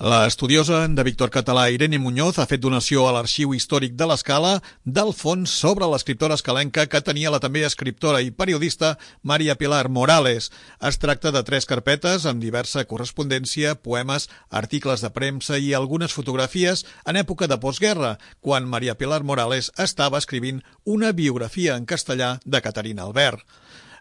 L'estudiosa de Víctor Català, Irene Muñoz, ha fet donació a l'Arxiu Històric de l'Escala del fons sobre l'escriptora escalenca que tenia la també escriptora i periodista Maria Pilar Morales. Es tracta de 3 carpetes amb diversa correspondència, poemes, articles de premsa i algunes fotografies en època de postguerra, quan Maria Pilar Morales estava escrivint una biografia en castellà de Caterina Albert.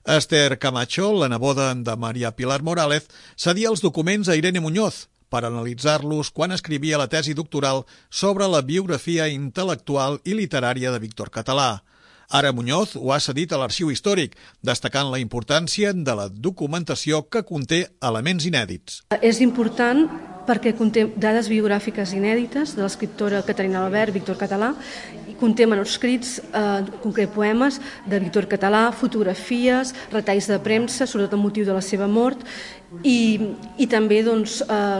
Esther Camacho, la neboda de Maria Pilar Morales, cedia els documents a Irene Muñoz per analitzar-los quan escrivia la tesi doctoral sobre la biografia intel·lectual i literària de Víctor Català. Ara Muñoz ho ha cedit a l'Arxiu Històric, destacant la importància de la documentació que conté elements inèdits. És important perquè conté dades biogràfiques inèdites de l'escriptora Caterina Albert, Víctor Català, i conté manuscrits, concret poemes de Víctor Català, fotografies, retalls de premsa, sobretot amb motiu de la seva mort, i també,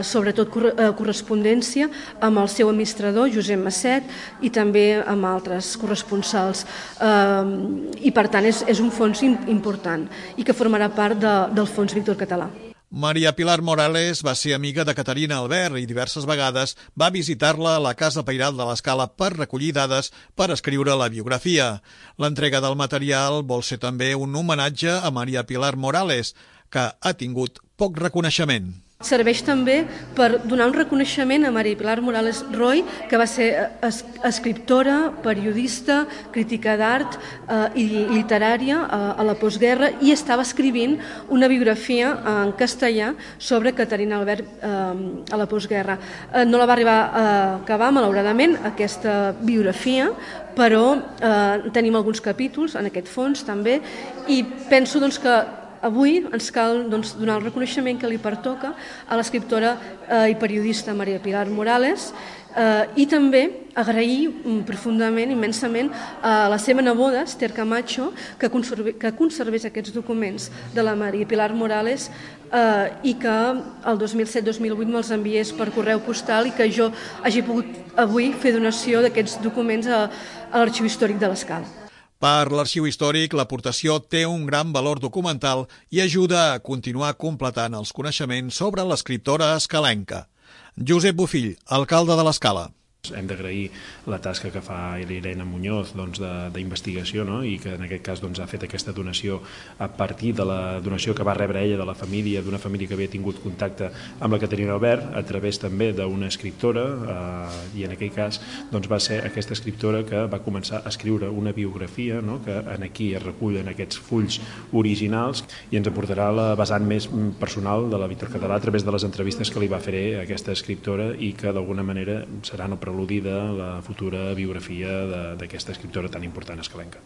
sobretot, correspondència amb el seu administrador, Josep Masset, i també amb altres corresponsals. I, per tant, és un fons important i que formarà part del fons Víctor Català. Maria Pilar Morales va ser amiga de Caterina Albert i diverses vegades va visitar-la a la Casa Pairal de l'Escala per recollir dades per escriure la biografia. L'entrega del material vol ser també un homenatge a Maria Pilar Morales, que ha tingut poc reconeixement. Serveix també per donar un reconeixement a Maria Pilar Morales Roy, que va ser escriptora, periodista, crítica d'art i literària a la postguerra, i estava escrivint una biografia en castellà sobre Caterina Albert a la postguerra. No la va arribar a acabar, malauradament, aquesta biografia, però tenim alguns capítols en aquest fons també, i penso que avui ens cal donar el reconeixement que li pertoca a l'escriptora i periodista Maria Pilar Morales, i també agrair profundament, immensament, a la seva neboda, Esther Camacho, que conservés aquests documents de la Maria Pilar Morales i que el 2007-2008 me'ls enviés per correu postal i que jo hagi pogut avui fer donació d'aquests documents a l'Arxiu Històric de l'Escala. Per l'Arxiu Històric, l'aportació té un gran valor documental i ajuda a continuar completant els coneixements sobre l'escriptora escalenca. Josep Bofill, alcalde de l'Escala. Hem d'agrair la tasca que fa l'Irene Muñoz d'investigació, i que en aquest cas ha fet aquesta donació a partir de la donació que va rebre ella de la família, d'una família que havia tingut contacte amb la Caterina Albert, a través també d'una escriptora, i en aquell cas va ser aquesta escriptora que va començar a escriure una biografia, que aquí es recullen aquests fulls originals, i ens aportarà la vessant més personal de la Víctor Català a través de les entrevistes que li va fer aquesta escriptora i que d'alguna manera seran el preludi de la futura biografia d'aquesta escriptora tan important escalenca.